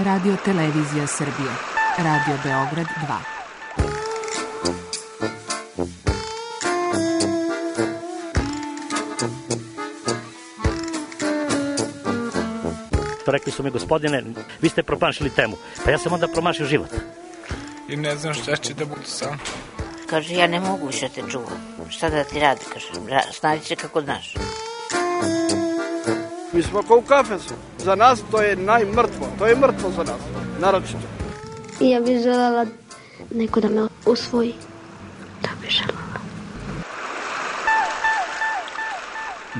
Radio Televizija Srbije. Radio Beograd 2. Rekli su mi, gospodine, vi ste promašili temu. Pa ja sam onda promašio život. I ne znam šta će da bude sam. Kaže, ja ne mogu više te čuvam. Šta da ti radi, kaže, snađi se kako znaš. Mi smo kao u kafesu. Za nas to je najmrtvo. To je mrtvo za nas, naročito. Ja bih želela neko da me usvoji. Da bih želela.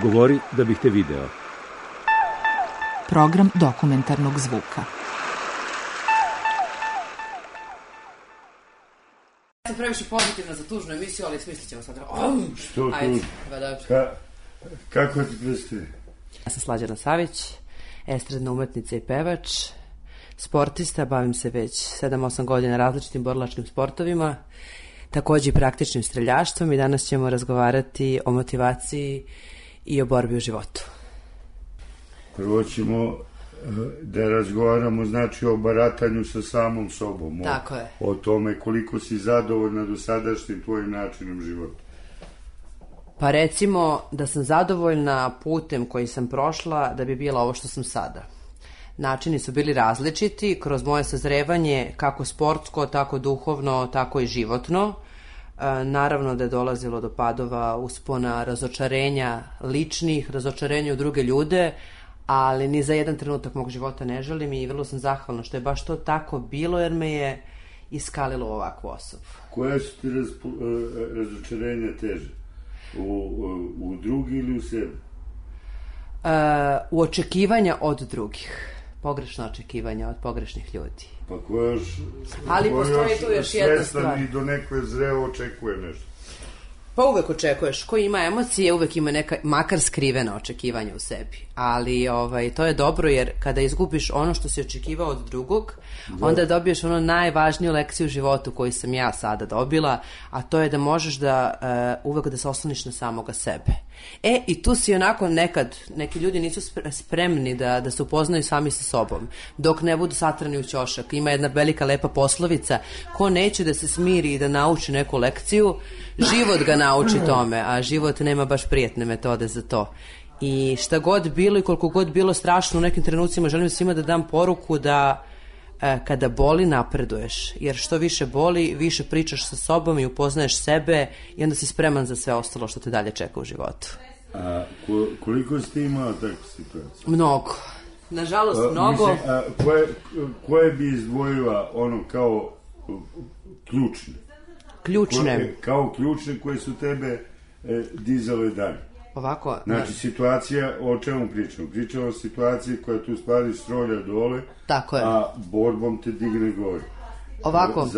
Govori da bih te video. Program dokumentarnog zvuka. Ja sam previše pozitivna za tužnu emisiju, ali smislit ćemo sad. Što tu? Kako ti predstavi? Ja sam Slađana Savić, estradna umetnica i pevač, sportista, bavim se već 7-8 godina različitim borilačkim sportovima, takođe i praktičnim streljaštvom i danas ćemo razgovarati o motivaciji i o borbi u životu. Prvo ćemo da razgovaramo znači o baratanju sa samom sobom. Tako je. O tome koliko si zadovoljna dosadašnjim tvojim načinom života. Pa recimo da sam zadovoljna putem koji sam prošla da bi bila ovo što sam sada. Načini su bili različiti kroz moje sazrevanje kako sportsko, tako duhovno, tako i životno. Naravno da je dolazilo do padova, uspona, razočarenja ličnih, razočarenja u druge ljude, ali ni za jedan trenutak mog života ne želim i vrlo sam zahvalna što je baš to tako bilo jer me je iskalilo ovakvu osobu. Koja su ti razočarenja teže? U drugi ili u sebi? U očekivanja od drugih. Pogrešno očekivanja od pogrešnih ljudi. Pa ko još... Ali postoji tu još jedna stvar. I do nekoj zreo očekuje nešto. Pa uvek očekuješ. Ko ima emocije, uvek ima neka, makar skrivena očekivanja u sebi. Ali to je dobro jer kada izgubiš ono što si očekivao od drugog, onda dobiješ ono najvažniju lekciju u životu koju sam ja sada dobila, a to je da možeš da uvek da se osloniš na samoga sebe. I tu si onako nekad, neki ljudi nisu spremni da se upoznaju sami sa sobom, dok ne budu satrani u ćošak. Ima jedna velika lepa poslovica, ko neće da se smiri i da nauči neku lekciju, život ga nauči tome, a život nema baš prijatne metode za to. I šta god bilo i koliko god bilo strašno u nekim trenucima, želim svima da dam poruku da kada boli napreduješ, jer što više boli, više pričaš sa sobom i upoznaješ sebe i onda si spreman za sve ostalo što te dalje čeka u životu. A koliko si ti imala takvu situaciju? Mnogo. Nažalost, mnogo. Koje bi izdvojila ono kao ključne? Ključne? Kao ključne koje su tebe dizale dalje. Ovako. Znači, situacija, o čemu pričamo? Pričamo o situaciji koja tu stvari strolja dole, tako je. A borbom te digne gore. Ovako,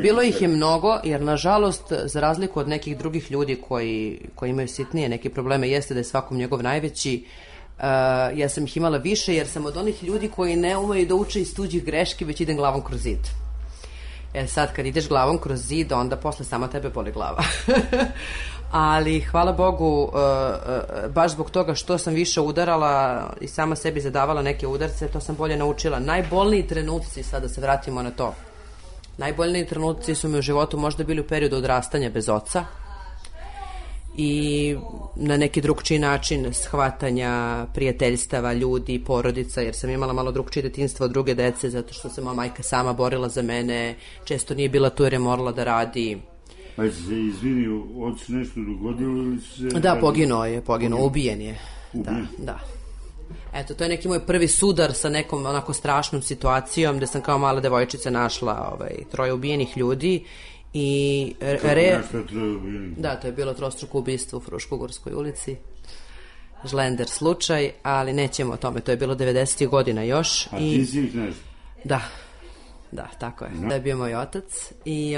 bilo ih je mnogo, jer nažalost, za razliku od nekih drugih ljudi koji imaju sitnije neke probleme, jeste da je svakom njegov najveći, ja sam ih imala više, jer sam od onih ljudi koji ne umeju da uče iz tuđih greški, već idem glavom kroz zid. Sad, kad ideš glavom kroz zid, onda posle sama tebe boli glava. Ali, hvala Bogu, baš zbog toga što sam više udarala i sama sebi zadavala neke udarce, to sam bolje naučila. Najbolniji trenuci, sada se vratimo na to, najbolniji trenuci su mi u životu možda bili u periodu odrastanja bez oca i na neki drugčiji način shvatanja prijateljstava, ljudi, porodica, jer sam imala malo drugčije detinjstvo od druge dece, zato što se moja majka sama borila za mene, često nije bila tu jer je morala da radi. Pa je se izvinio, ocu nešto dogodilo ili se... Da, poginuo, ubijen je. Da. Eto, to je neki moj prvi sudar sa nekom onako strašnom situacijom, gde sam kao mala devojčica našla 3 ubijenih ljudi i... Da, to je bilo trostruko ubistvo u Fruškogorskoj ulici. Žlender slučaj, ali nećemo o tome, to je bilo 90. godina još. A ti si ih nešto? Da, tako je. Da je bio moj otac i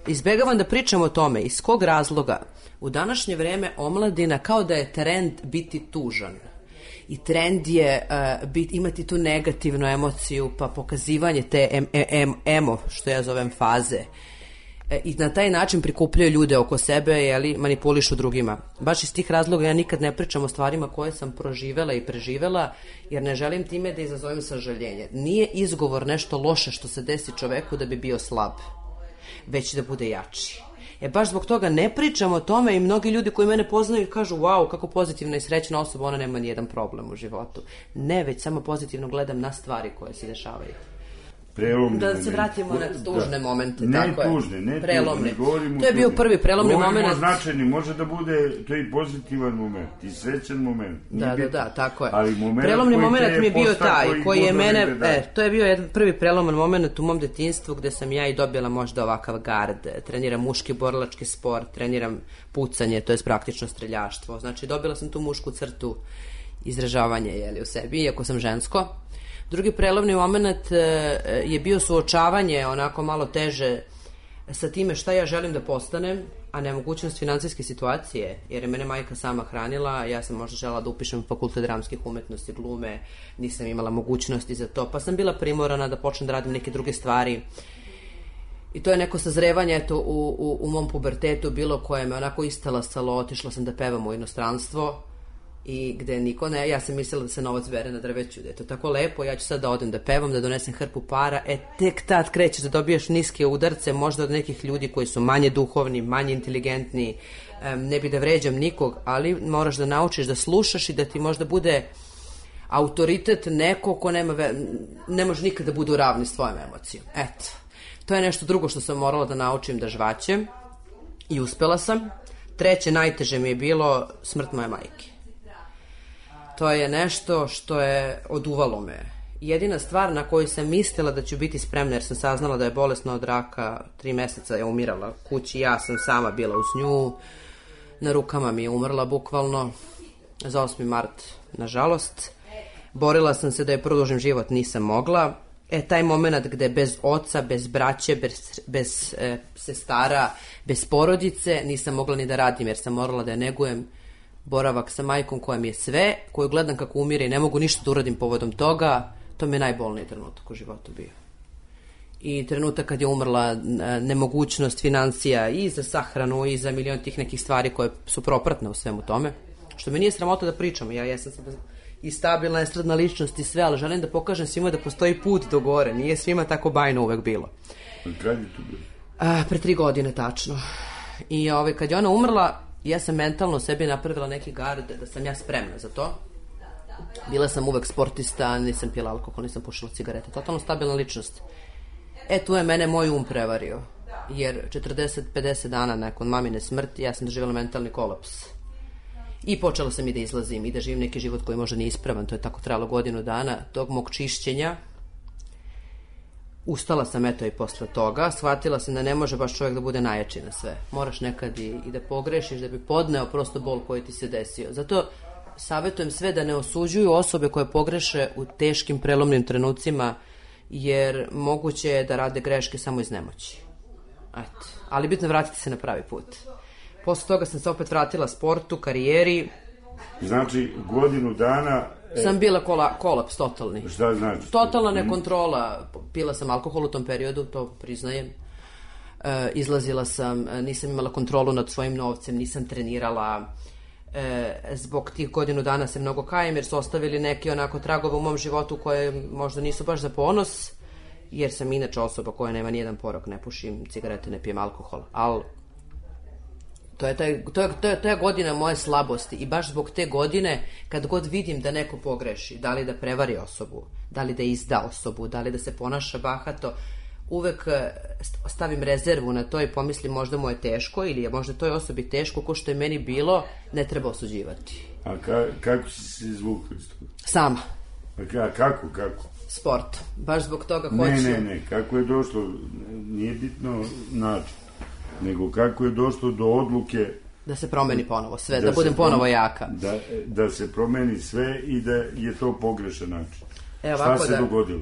izbegavam da pričam o tome. Iz kog razloga? U današnje vreme omladina kao da je trend biti tužan. I trend je imati tu negativnu emociju, pa pokazivanje te što ja zovem faze. i na taj način prikupljaju ljude oko sebe, jeli, manipulišu drugima. Baš iz tih razloga ja nikad ne pričam o stvarima koje sam proživela i preživela, jer ne želim time da izazovem sažaljenje. Nije izgovor nešto loše što se desi čoveku da bi bio slab, već da bude jači. Baš zbog toga ne pričam o tome i mnogi ljudi koji mene poznaju kažu wow, kako pozitivna i srećna osoba, ona nema nijedan problem u životu. Ne, već samo pozitivno gledam na stvari koje se dešavaju. Prelomni da moment. Se vratimo na tužne momente. Ne tako tužne, je. Ne prelomni. tužne. To je bio prvi prelomni moment. Govorimo značajni, može da bude to i pozitivan moment, i srećan moment. Da, tako je. Ali prelomni moment mi je bio taj, koji je mene, to je bio jedan prvi preloman moment u mom detinjstvu gde sam ja i dobila možda ovakav gard, treniram muški borilački sport, treniram pucanje, to je praktično streljaštvo. Znači dobila sam tu mušku crtu izražavanje u sebi, iako sam žensko. Drugi prelovni moment je bio suočavanje onako malo teže sa time šta ja želim da postanem, a nemogućnost finansijske situacije, jer je mene majka sama hranila, ja sam možda žela da upišem fakultet dramskih umetnosti, glume, nisam imala mogućnosti za to, pa sam bila primorana da počnem da radim neke druge stvari. I to je neko sazrevanje, eto, u mom pubertetu bilo koje me onako istalasalo, otišla sam da pevam u inostranstvo, i gde niko ne, ja sam mislila da se novac bere na drveću, da je to tako lepo, ja ću sad da odem da pevam, da donesem hrpu para, tek tad krećeš da dobiješ niske udarce, možda od nekih ljudi koji su manje duhovni, manje inteligentni, ne bi da vređam nikog, ali moraš da naučiš da slušaš i da ti možda bude autoritet neko ko ne može nikada da bude u ravni s tvojom emocijom. Eto, to je nešto drugo što sam morala da naučim da žvaćem i uspela sam. Treće, najteže mi je bilo smrt moje majke. To je nešto što je oduvalo me. Jedina stvar na koju sam mislila da ću biti spremna, jer sam saznala da je bolesna od raka, 3 meseca je umirala kući, ja sam sama bila uz nju, na rukama mi je umrla bukvalno, za 8. mart, nažalost. Borila sam se da je produžim život, nisam mogla. Taj moment gde bez oca, bez braće, bez sestara, bez porodice, nisam mogla ni da radim, jer sam morala da je negujem. Boravak sa majkom koja mi je sve, koju gledam kako umire i ne mogu ništa da uradim povodom toga, to mi je najbolniji trenutak u životu bio. I trenutak kad je umrla, nemogućnost financija i za sahranu i za milion tih nekih stvari koje su propratne u svemu tome, što mi nije sramota da pričam, ja sam sad i stabilna, estradna ličnost i sve, ali želim da pokažem svima da postoji put do gore, nije svima tako bajno uvek bilo. Kad je to bilo? Pre 3 godine tačno. I kad je ona umrla, ja sam mentalno sebi napravila neki gard da sam ja spremna za to. Bila sam uvek sportista, nisam pila alkohol, nisam pušila cigarete, totalno stabilna ličnost. Tu je mene moj prevario, jer 40-50 dana nakon mamine smrti ja sam doživjela mentalni kolaps. I počela sam i da izlazim i da živim neki život koji možda nije ispravan, to je tako trajalo godinu dana, tog mog čišćenja. Ustala sam i posle toga, shvatila sam da ne može baš čovjek da bude najjači na sve. Moraš nekad i da pogrešiš, da bi podneo prosto bol koji ti se desio. Zato savjetujem sve da ne osuđuju osobe koje pogreše u teškim prelomnim trenucima, jer moguće je da rade greške samo iz nemoći. Ali bitno je vratiti se na pravi put. Posle toga sam se opet vratila sportu, karijeri. Znači, godinu dana... Sam bila kolaps totalni. Šta znači? Totalna nekontrola. Pila sam alkohol u tom periodu, to priznajem. Izlazila sam, nisam imala kontrolu nad svojim novcem, nisam trenirala. Zbog tih godinu dana se mnogo kajem, jer su ostavili neki onako tragove u mom životu koje možda nisu baš za ponos, jer sam inače osoba koja nema nijedan porok, ne pušim cigarete, ne pijem alkohol. Ali to je godina moje slabosti i baš zbog te godine, kad god vidim da neko pogreši, da li da prevari osobu, da li da izda osobu, da li da se ponaša bahato, uvek stavim rezervu na to i pomislim možda mu je teško ili je možda toj osobi teško, ko što je meni bilo, ne treba osuđivati. A kako si se izvukla iz toga? Sama. A kako? Sport. Baš zbog toga hoću... Ne, kako je došlo, nije bitno način, nego kako je došlo do odluke... Da se promeni ponovo sve, da budem ponovo jaka. Da se promeni sve i da je to pogrešan način. Šta se dogodilo?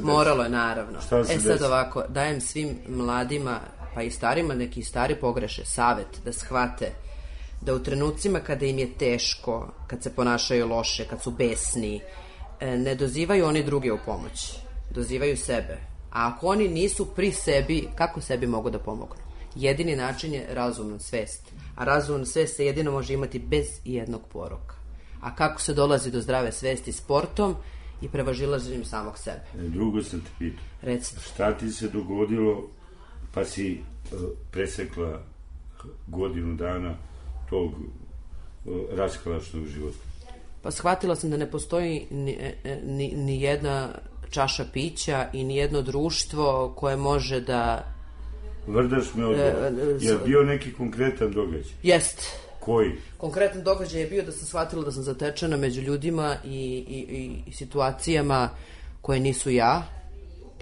Moralo je, naravno. Sad ovako, dajem svim mladima, pa i starima, neki stari pogreše, savjet da shvate da u trenucima kada im je teško, kad se ponašaju loše, kad su besni, ne dozivaju oni druge u pomoć, dozivaju sebe. A ako oni nisu pri sebi, kako sebi mogu da pomognu? Jedini način je razumna svest. A razumna svest se jedino može imati bez jednog poroka. A kako se dolazi do zdrave svesti? Sportom i prevažilaženjem samog sebe. Drugo sam te pitao. Recite. Šta ti se dogodilo pa si presekla godinu dana tog raskalašnog života? Pa shvatila sam da ne postoji ni jedna čaša pića i ni jedno društvo koje može da... Vrdaš me odgovor. Je bio neki konkretan događaj? Jest. Koji? Konkretan događaj je bio da sam shvatila da sam zatečena među ljudima i situacijama koje nisu ja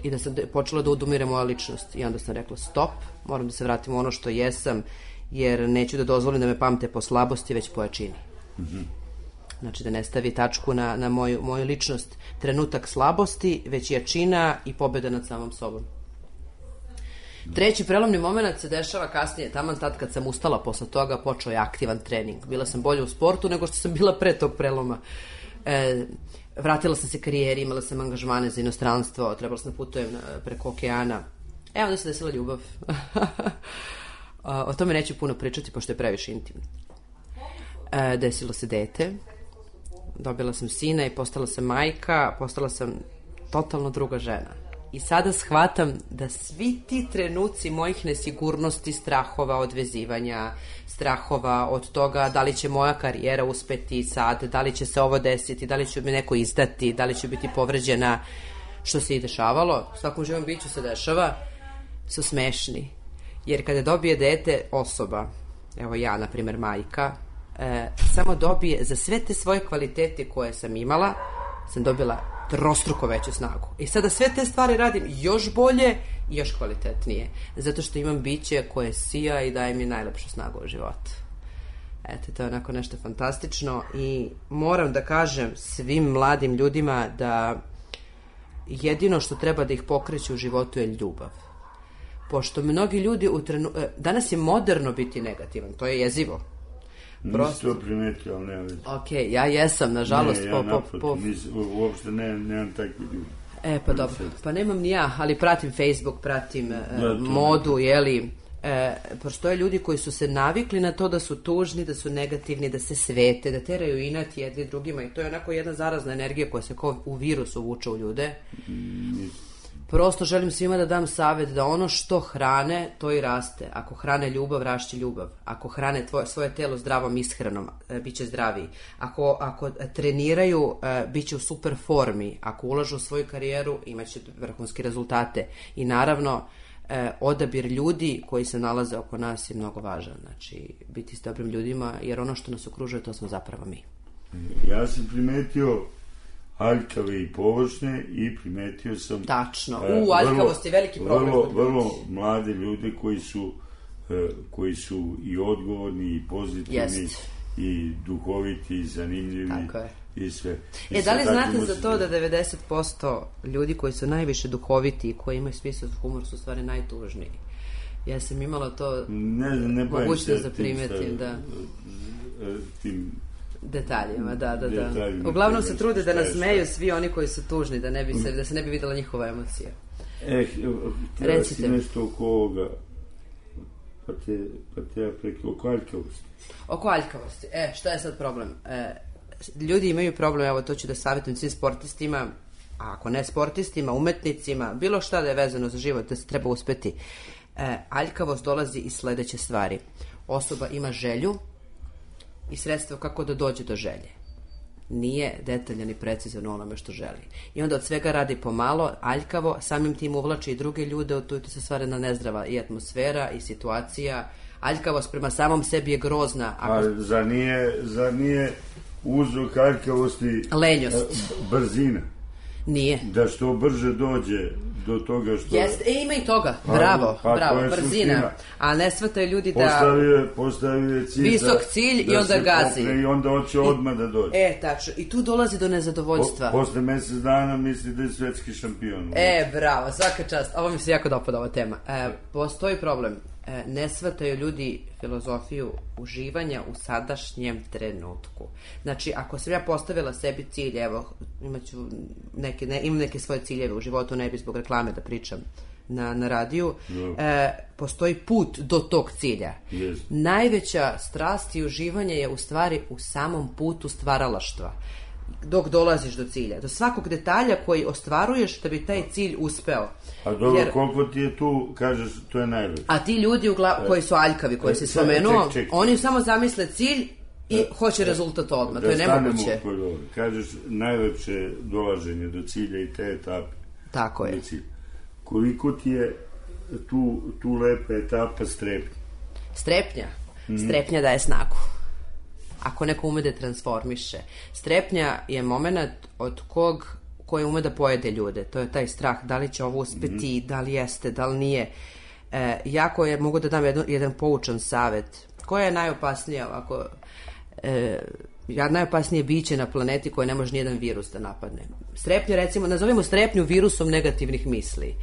i da sam počela da odumire moja ličnost. I onda sam rekla stop, moram da se vratim u ono što jesam, jer neću da dozvolim da me pamte po slabosti, već po jačini. Znači da ne stavi tačku na moju ličnost trenutak slabosti, već jačina i pobjeda nad samom sobom. Treći prelomni moment se dešava kasnije, taman tad kad sam ustala posle toga, počeo je aktivan trening. Bila sam bolje u sportu nego što sam bila pre tog preloma. Vratila sam se karijeri, imala sam angažmane za inostranstvo, trebala sam da putujem preko okeana. Onda se desila ljubav. O tome neću puno pričati, pošto je previše intimno. Desilo se dete, dobila sam sina i postala sam majka, postala sam totalno druga žena. I sada shvatam da svi ti trenuci mojih nesigurnosti, strahova od vezivanja, strahova od toga da li će moja karijera uspeti sad, da li će se ovo desiti, da li će mi neko izdati, da li će biti povređena, što se i dešavalo, svakom živom biću se dešava, su smešni. Jer kada dobije dete osoba, evo ja, na primjer majka, samo dobije za sve te svoje kvalitete koje sam imala, sam dobila trostruko veću snagu. I sada sve te stvari radim još bolje i još kvalitetnije. Zato što imam biće koje sija i daje mi najlepšu snagu u životu. Eto, to je onako nešto fantastično i moram da kažem svim mladim ljudima da jedino što treba da ih pokreće u životu je ljubav. Pošto mnogi ljudi danas je moderno biti negativan, to je jezivo. Nisi to primetio, ali nema već. Ok, ja jesam, nažalost. Ne, ja naprotiv, uopšte nemam takvi ljudi. Pa dobro, pa nemam ni ja, ali pratim Facebook, pratim modu, jeli. Postoje ljudi koji su se navikli na to da su tužni, da su negativni, da se svete, da teraju inat jedni drugima i to je onako jedna zarazna energija koja se kao u virusu vuče u ljude. Prosto želim svima da dam savjet da ono što hrane, to i raste. Ako hrane ljubav, rašće ljubav. Ako hrane svoje telo zdravom ishranom, bit će zdraviji. Ako treniraju, bit će u super formi. Ako ulažu u svoju karijeru, imat će vrhunske rezultate. I naravno, odabir ljudi koji se nalaze oko nas je mnogo važan. Znači, biti s dobrim ljudima, jer ono što nas okružuje, to smo zapravo mi. Ja sam primetio aljkave i površne i primetio sam... Tačno. Aljkavost je veliki problem. Vrlo mlade ljude koji su i odgovorni i pozitivni i duhoviti i zanimljivi. Tako je. I sve. Da li znate za to da 90% ljudi koji su najviše duhoviti i koji imaju smisao za humor su stvari najtužniji? Ja sam imala to mogućnost da primetim da... Tim detaljima, da. Uglavnom se trude da nas smeju svi oni koji su tužni, da se ne bi videla njihova emocija. Htjela si nešto oko ovoga, pa te ja prekla, oko aljkavosti. Oko aljkavosti. Šta je sad problem? Ljudi imaju problem, evo to ću da savjetujem svim sportistima, a ako ne sportistima, umetnicima, bilo šta da je vezano za život, da se treba uspeti. Aljkavost dolazi iz sledeće stvari. Osoba ima želju i sredstvo kako da dođe do želje. Nije detaljan i precizan u onome što želi. I onda od svega radi pomalo, aljkavo, samim tim uvlači i druge ljude, tu se stvara na nezdrava i atmosfera i situacija. Aljkavost prema samom sebi je grozna. Zar nije uzrok aljkavosti brzina? Nije. Da što brže dođe do toga što... Ima i toga. Bravo, brzina. A ne shvataju ljudi da... Postavio cilj visok cilj i onda gazi. I onda hoće odmah da dođe. Tačno. I tu dolazi do nezadovoljstva. Posle mesec dana misli da je svetski šampion. Bravo, svaka čast. Ovo mi se jako dopada ova tema. Postoji problem. ne shvataju ljudi filozofiju uživanja u sadašnjem trenutku. Znači, ako sam ja postavila sebi cilj, evo, imam neke svoje ciljeve u životu, ne bi zbog reklame da pričam na radiju, postoji put do tog cilja. Yes. Najveća strast i uživanje je u stvari u samom putu stvaralaštva. Dok dolaziš do cilja. Do svakog detalja koji ostvaruješ da bi taj cilj uspeo. A dobro, koliko ti je tu, kažeš, to je najveće. A ti ljudi koji su aljkavi, koji si spomenuo, oni samo zamisle cilj i hoće rezultat odmah. To je nemoguće. Kažeš, najlepše dolaženje do cilja i te etape. Tako je. Koliko ti je tu lepa etapa strepnja? Strepnja? Strepnja daje snagu. Ako neko ume da transformiše. Strepnja je moment od koji ume da pojede ljude. To je taj strah, da li će ovo uspeti, da li jeste, da li nije. Jako je, mogu da dam jedan poučan savet. Koja je najopasnija ovako... najopasnije biće na planeti koje ne može nijedan virus da napadne. Strepnja, recimo, nazovimo strepnju virusom negativnih misli.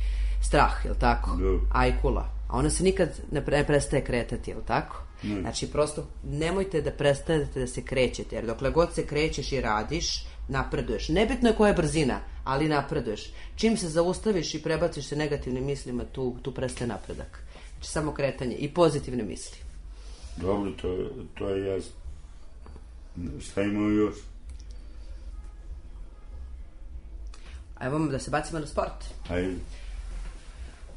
Strah, jel tako? Ajkula. A ona se nikad ne prestaje kretati, jel tako? Znači, prosto nemojte da prestanete da se krećete, jer dokle god se krećeš i radiš, napreduješ. Nebitno je koja je brzina, ali napreduješ. Čim se zaustaviš i prebaciš se negativnim mislima, tu prestaje napredak. Znači, samo kretanje i pozitivne misli. Dobro, to je jasno. Šta imamo još? Evo da se bacimo na sport. Ajde.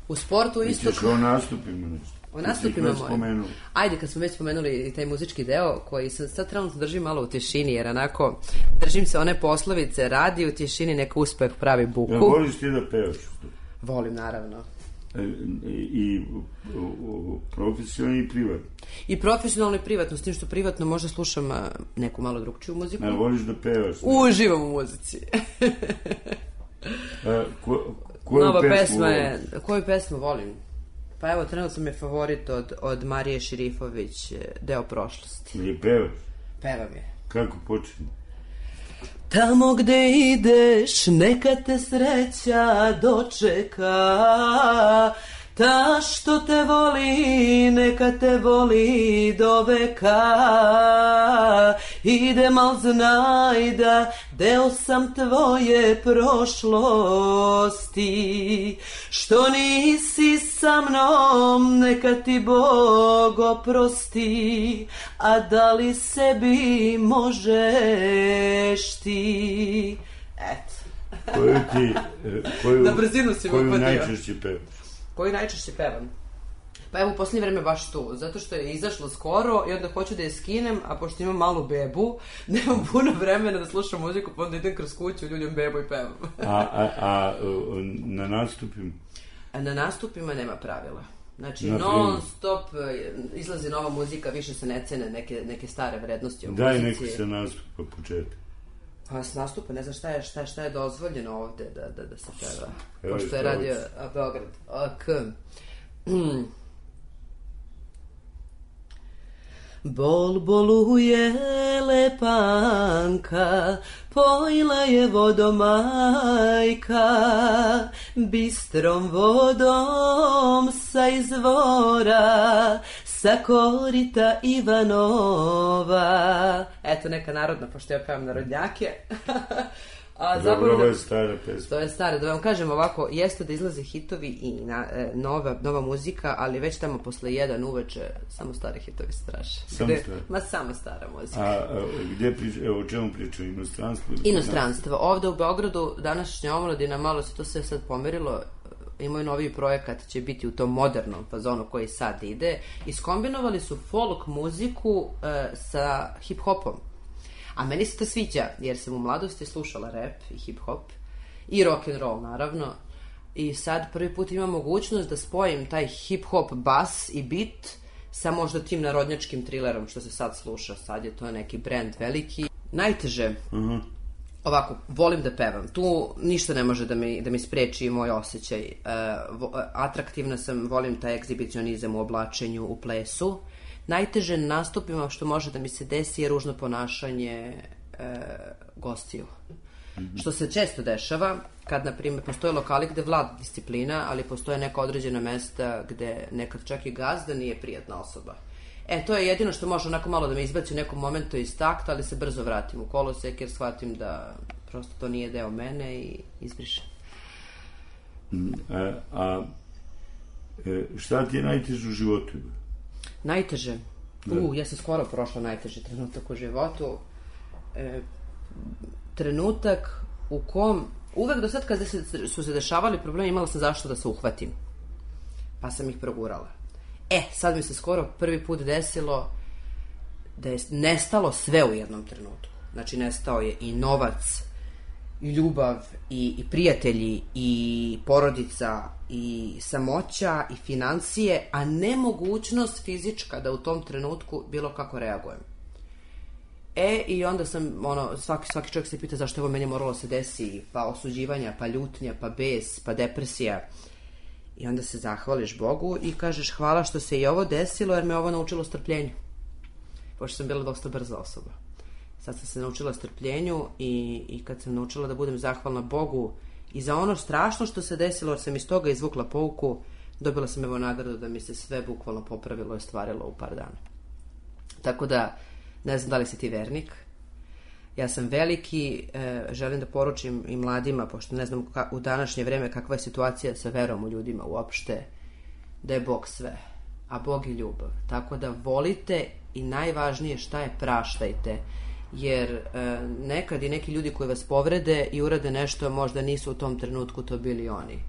U sportu isto... Ćeš o nastupima nešto. O nastupima mojim. Ajde, kad smo već spomenuli taj muzički deo, koji sad trenutno držim malo u tišini, jer onako držim se one poslovice, radi u tišini, neka uspeh pravi buku. Ja, voliš ti da pevaš? Volim, naravno. I profesionalno i privatno? I profesionalno i privatno, s tim što privatno možda slušam neku malo drugčiju muziku. A voliš da pevaš? Uživam u muzici. Koju pesmu volim? Pa evo, trenutno mi je favorit od Marije Širifović, Deo prošlosti. Ili pevaš? Pevam je. Kako počinje? Tamo gde ideš, neka te sreća dočeka, ta što te voli, neka te voli do veka. Idem, al znaj da deo sam tvoje prošlosti, što nisi sa mnom, neka ti Bog oprosti, a da li sebi možeš ti? Eto. Koju najčešće pevaš? Koju najčešće pevam? Pa evo u posljednje vreme baš tu, zato što je izašlo skoro i onda hoću da je skinem, a pošto imam malu bebu, nemam puno vremena da slušam muziku, pa onda idem kroz kuću, ljuljam bebu i pevam. A na nastupima? Na nastupima nema pravila. Znači, non stop izlazi nova muzika, više se ne cene neke stare vrednosti u muzici. Daj neki se nastupa početak. Pa s nastupa, ne znam šta je dozvoljeno ovde da se peva. Pošto je radio Beograd. Bol boluje lepanka, pojila je vodom majka, bistrom vodom sa izvora, sa korita Ivanova. Eto neka narodna, pošto ja pevam narodnjake. Dobro, ovo je stara pesma. To je stara, da vam kažem ovako, jeste da izlaze hitovi i nova muzika, ali već tamo posle 1 uveče samo stare hitovi se traže. Samo stara muzika. A o čemu pričaju? Inostranstvo? Inostranstvo. Ovde u Beogradu današnja omladina, malo se to sve sad pomerilo, imaju novi projekat, će biti u tom modernom fazonu koji sad ide. Iskombinovali su folk muziku sa hip-hopom. A meni se to sviđa, jer sam u mladosti slušala rap i hip-hop i rock'n'roll, naravno. I sad prvi put imam mogućnost da spojim taj hip-hop bas i beat sa možda tim narodnjačkim trilerom što se sad sluša. Sad je to neki brand veliki. Najteže, ovako, volim da pevam. Tu ništa ne može da mi spreči moj osjećaj. Atraktivna sam, volim taj egzibicionizam u oblačenju, u plesu. Najteže nastupima što može da mi se desi je ružno ponašanje gostiju. Što se često dešava, kad, na primjer, postoje lokali gde vlada disciplina, ali postoje neka određena mesta gde nekad čak i gazda nije prijatna osoba. To je jedino što može onako malo da me izbaci u nekom momentu iz takta, ali se brzo vratim u kolosek jer shvatim da prosto to nije deo mene i izbrišem. Šta ti je najteže u životu? Najteže? Ja sam skoro prošla najteži trenutak u životu. Trenutak u kom uvek do sad kada su se dešavali problemi imala sam zašto da se uhvatim, pa sam ih progurala. Sad mi se skoro prvi put desilo da je nestalo sve u jednom trenutku. Znači nestao je i novac, i ljubav, i prijatelji, i porodica, i samoća, i financije, a nemogućnost fizička da u tom trenutku bilo kako reagujem. I onda sam, svaki čovjek se pita zašto je ovo meni moralo se desi, pa osuđivanja, pa ljutnja, pa bes, pa depresija. I onda se zahvališ Bogu i kažeš hvala što se i ovo desilo jer me ovo naučilo strpljenju. Pošto sam bila dosta brza osoba. Sad sam se naučila strpljenju i kad sam naučila da budem zahvalna Bogu i za ono strašno što se desilo, jer sam iz toga izvukla pouku, dobila sam evo nagradu da mi se sve bukvalno popravilo i ostvarilo u par dana. Tako da, ne znam da li si ti vernik. Ja sam veliki, želim da poručim i mladima, pošto ne znam u današnje vreme kakva je situacija sa verom u ljudima uopšte, da je Bog sve, a Bog je ljubav. Tako da volite i najvažnije šta je praštajte, jer nekad i neki ljudi koji vas povrede i urade nešto možda nisu u tom trenutku to bili oni.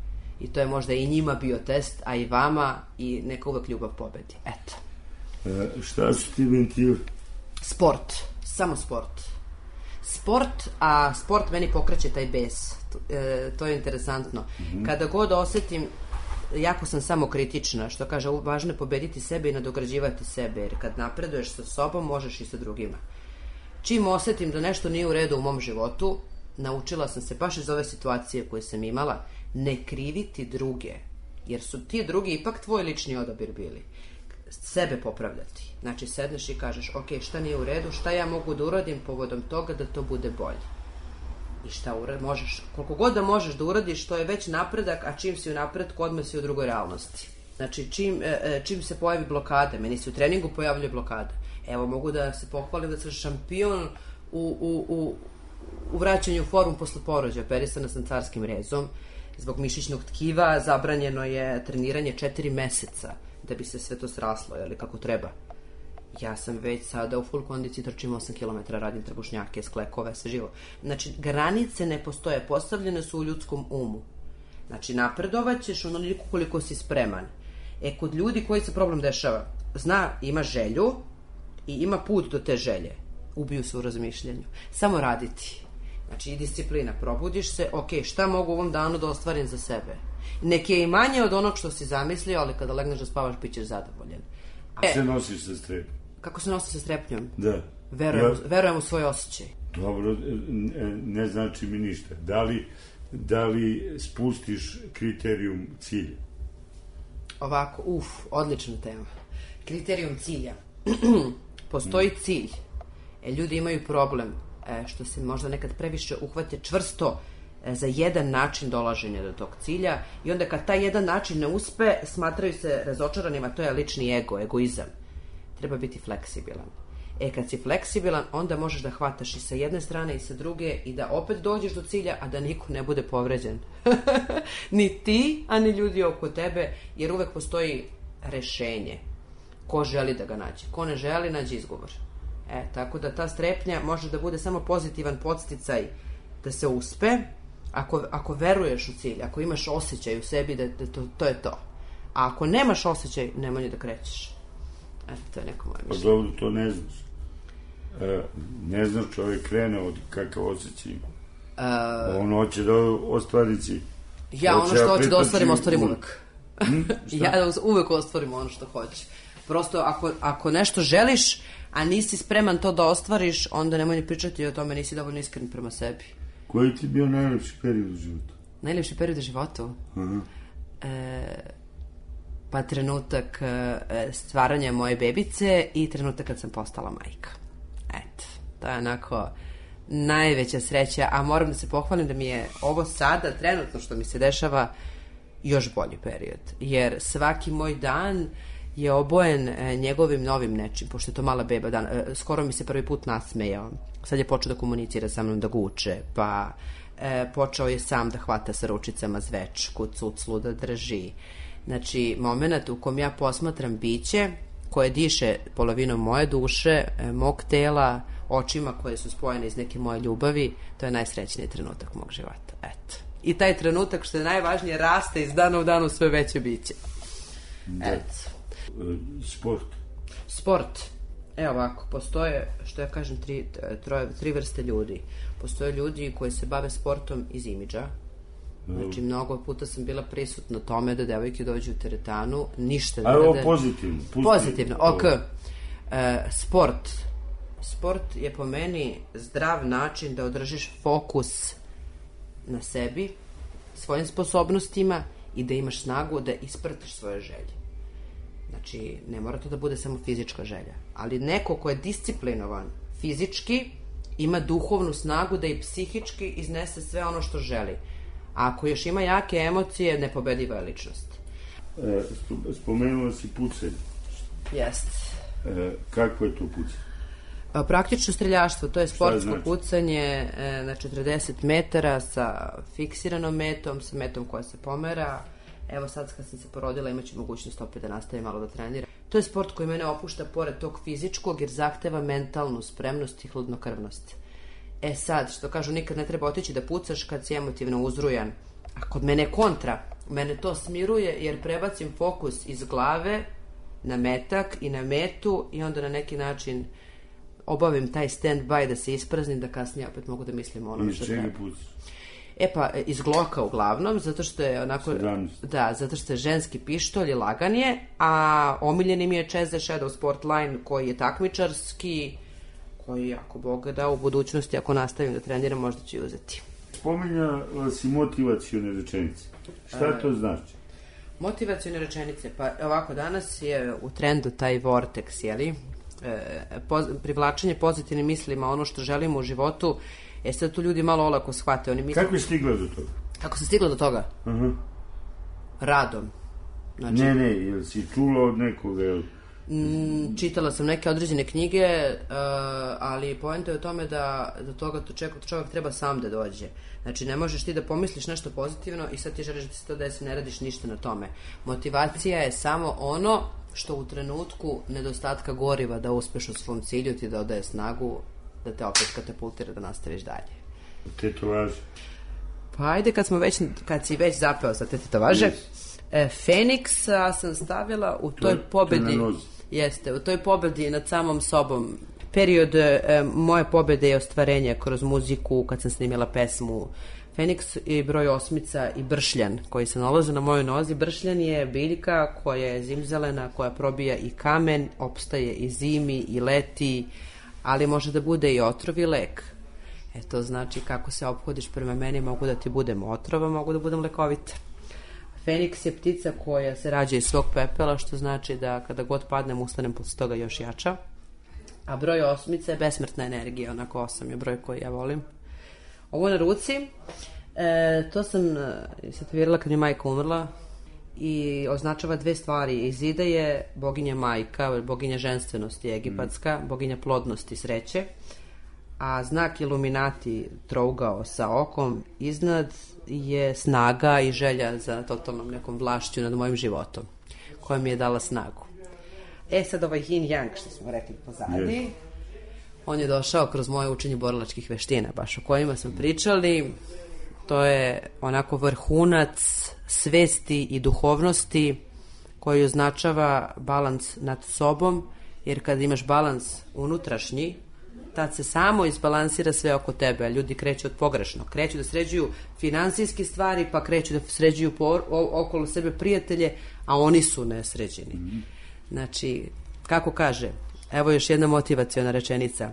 I to je možda i njima bio test, a i vama i neka uvek ljubav pobedi. Eto. Šta su ti ventili? Sport, samo sport. A sport meni pokreće taj bes. To je interesantno. Kada god osetim, jako sam samokritična, što kaže, važno je pobediti sebe i nadograđivati sebe, jer kad napreduješ sa sobom, možeš i sa drugima. Čim osetim da nešto nije u redu u mom životu, naučila sam se, baš iz ove situacije koje sam imala, ne kriviti druge, jer su ti drugi ipak tvoj lični odabir bili. Sebe popravljati. Znači, sedneš i kažeš, ok, šta nije u redu, šta ja mogu da uradim povodom toga da to bude bolje. I šta možeš, koliko god da možeš da uradiš, to je već napredak, a čim si u napredku, odmah si u drugoj realnosti. Znači, čim se pojavi blokada, meni se u treningu pojavljuje blokada. Evo, mogu da se pohvalim da sam šampion u vraćanju u formu posle porođaja. Operisana sam carskim rezom. Zbog mišićnog tkiva zabranjeno je treniranje 4 meseca da bi se sve to sraslo, jeli, kako treba. Ja sam već sada u full kondiciji, trčim 8 km, radim trbušnjake, sklekove, sve živo. Znači, granice ne postoje, postavljene su u ljudskom umu. Znači, napredovat ćeš onoliko koliko si spreman. Kod ljudi koji se problem dešava, ima želju i ima put do te želje. Ubiju se u razmišljanju. Samo raditi. Znači, i disciplina. Probudiš se, ok, šta mogu u ovom danu da ostvarim za sebe? Nek je i manje od onog što si zamislio, ali kada legneš da spavaš, bit ćeš zadovoljen. Kako se nosiš sa strepnjom? Kako se nosiš sa strepnjom? Da. Verujem u svoj osjećaj. Dobro, ne znači mi ništa. Da li spustiš kriterijum cilja? Ovako, odlična tema. Kriterijum cilja. Postoji cilj. Ljudi imaju problem što se možda nekad previše uhvate čvrsto za jedan način dolaženja do tog cilja i onda kad taj jedan način ne uspe, smatraju se razočaranima, to je lični egoizam. Treba biti fleksibilan. Kad si fleksibilan, onda možeš da hvataš i sa jedne strane i sa druge i da opet dođeš do cilja, a da niko ne bude povređen. Ni ti, a ni ljudi oko tebe, jer uvek postoji rešenje. Ko želi da ga nađe? Ko ne želi, nađe izgovor. Tako da ta strepnja može da bude samo pozitivan podsticaj da se uspe, ako veruješ u cilj, ako imaš osjećaj u sebi da to je to. A ako nemaš osjećaj, nemoj da krećeš. To je neko moje mišljenje. Pa dobro, to ne znaš. Ne znaš, čovjek krene od kakav osjećaj ima. On hoće da ostvari cilj. Ja ono što hoću da ostvarim uvek. Ja uvek ostvarim ono što hoću. Prosto, ako nešto želiš, a nisi spreman to da ostvariš, onda nemoj ni pričati o tome, nisi dovoljno iskren prema sebi. Koji ti je bio najlepši period u životu? Najlepši period u životu? Pa trenutak stvaranja moje bebice i trenutak kad sam postala majka. To je onako najveća sreća, a moram da se pohvalim da mi je ovo sada, trenutno što mi se dešava, još bolji period. Jer svaki moj dan je obojen njegovim novim nečim, pošto je to mala beba dan. Skoro mi se prvi put nasmejao. Sad je počeo da komunicira sa mnom, da guče, pa počeo je sam da hvata sa ručicama zvečku, cuclu da drži. Znači, moment u kom ja posmatram biće koje diše polovinom moje duše, mog tela, očima koje su spojene iz neke moje ljubavi, to je najsrećniji trenutak mog života. Eto. I taj trenutak, što je najvažnije, raste iz dana u danu sve veće biće. Eto. Sport. Evo ovako, postoje, što ja kažem, tri vrste ljudi. Postoje ljudi koji se bave sportom iz imidža. Znači, mnogo puta sam bila prisutna tome da devojke dođu u teretanu, ništa da... Evo, pozitivno. Pozitivno, ok. Sport je po meni zdrav način da održiš fokus na sebi, svojim sposobnostima i da imaš snagu da ispratiš svoje želje. Znači, ne mora to da bude samo fizička želja, ali neko ko je disciplinovan fizički ima duhovnu snagu da i psihički iznese sve ono što želi. A ako još ima jake emocije, nepobediva je ličnost. Spomenula si pucanje. Jest. Kako je to pucanje? Praktično streljaštvo, to je sportsko pucanje na 40 metara sa fiksiranom metom, sa metom koja se pomera. Evo sad kad sam se porodila imaću mogućnost opet da nastavim malo da treniram. To je sport koji mene opušta pored tog fizičkog jer zahteva mentalnu spremnost i hladnokrvnost. Sad, što kažu, nikad ne treba otići da pucaš kad si emotivno uzrujan. A kod mene je kontra. Mene to smiruje jer prebacim fokus iz glave na metak i na metu i onda na neki način obavim taj stand-by da se ispraznim, da kasnije opet mogu da mislim ono što treba. Iz čega pucaš? Iz Glocka uglavnom, zato što je onako... 17. Da, zato što je ženski pištolj i lagan je, a omiljeni mi je Chase the Shadow Sportline koji je takmičarski, koji, ako Bog da, u budućnosti, ako nastavim da treniram, možda ću uzeti. Spominjala si motivacione rečenice. Šta to znači? Motivacione rečenice, pa ovako, danas je u trendu taj vortex, jeli? Privlačenje pozitivnim mislima, ono što želimo u životu. Sad tu ljudi malo olako shvate. Oni misle... Kako je stigla do toga? Kako sam stigla do toga? Radom. Znači... Ne, jel si čula od nekoga? Čitala sam neke određene knjige, ali poenta je u tome da do toga čovjek treba sam da dođe. Znači, ne možeš ti da pomisliš nešto pozitivno i sad ti želiš da se to desi, ne radiš ništa na tome. Motivacija je samo ono što u trenutku nedostatka goriva da uspeš u svom cilju ti dodaje snagu da te opet katapultira da nastaviš dalje. Tetovaže? Pa ajde, kad si već zapeo za te tetovaže, Feniksa sam stavila u toj pobedi. Jeste, u toj pobedi nad samom sobom. Period moje pobede je ostvarenje kroz muziku, kad sam snimila pesmu Feniks i broj 8 i bršljan koji se nalazi na mojoj nozi. Bršljan je biljka koja je zimzelena, koja probija i kamen, opstaje i zimi i leti, ali može da bude i otrov i lek. To znači kako se ophodiš prema meni, mogu da ti budem otrova, mogu da budem lekovita. Feniks je ptica koja se rađa iz svog pepela, što znači da kada god padnem, ustanem posle toga još jača. A broj 8 je besmrtna energija, onako 8 je broj koji ja volim. Ovo na ruci, to sam tetovirala kad mi majka umrla i označava dve stvari. Izida je boginja majka, boginja ženstvenosti egipatska, boginja plodnosti, sreće, a znak Iluminati trougao sa okom iznad je snaga i želja za totalnom nekom vlašću nad mojim životom, koja mi je dala snagu. Sad ovaj yin yang što smo rekli pozadi, on je došao kroz moje učenje borilačkih veština, baš o kojima smo pričali. To je onako vrhunac svesti i duhovnosti koji označava balans nad sobom, jer kad imaš balans unutrašnji, tad se samo izbalansira sve oko tebe, a ljudi kreću od pogrešno. Kreću da sređuju finansijske stvari, pa kreću da sređuju okolo sebe prijatelje, a oni su nesređeni. Znači, kako kaže, evo još jedna motivaciona rečenica.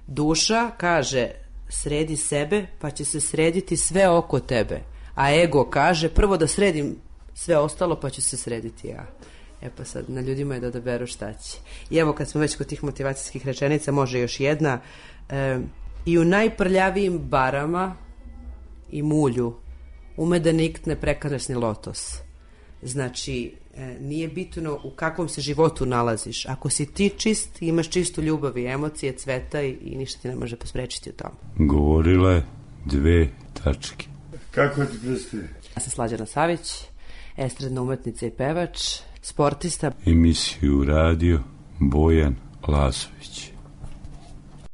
Duša kaže, sredi sebe, pa će se srediti sve oko tebe. A ego kaže, prvo da sredim sve ostalo, pa ću se srediti ja. Pa sad, na ljudima je da odaberu šta će. I evo, kad smo već kod tih motivacijskih rečenica, može još jedna. i u najprljavijim barama i mulju ume da nikne prekrasni lotos. Znači, nije bitno u kakvom se životu nalaziš. Ako si ti čist, imaš čistu ljubav i emocije, cveta i ništa ti ne može posprečiti u tomu. Govorila je 2 tačke. Kako ti predstavlja? Ja sam Slađana Savić, estradna umetnica i pevač, sportista. Emisiju radio Bojan Lazović.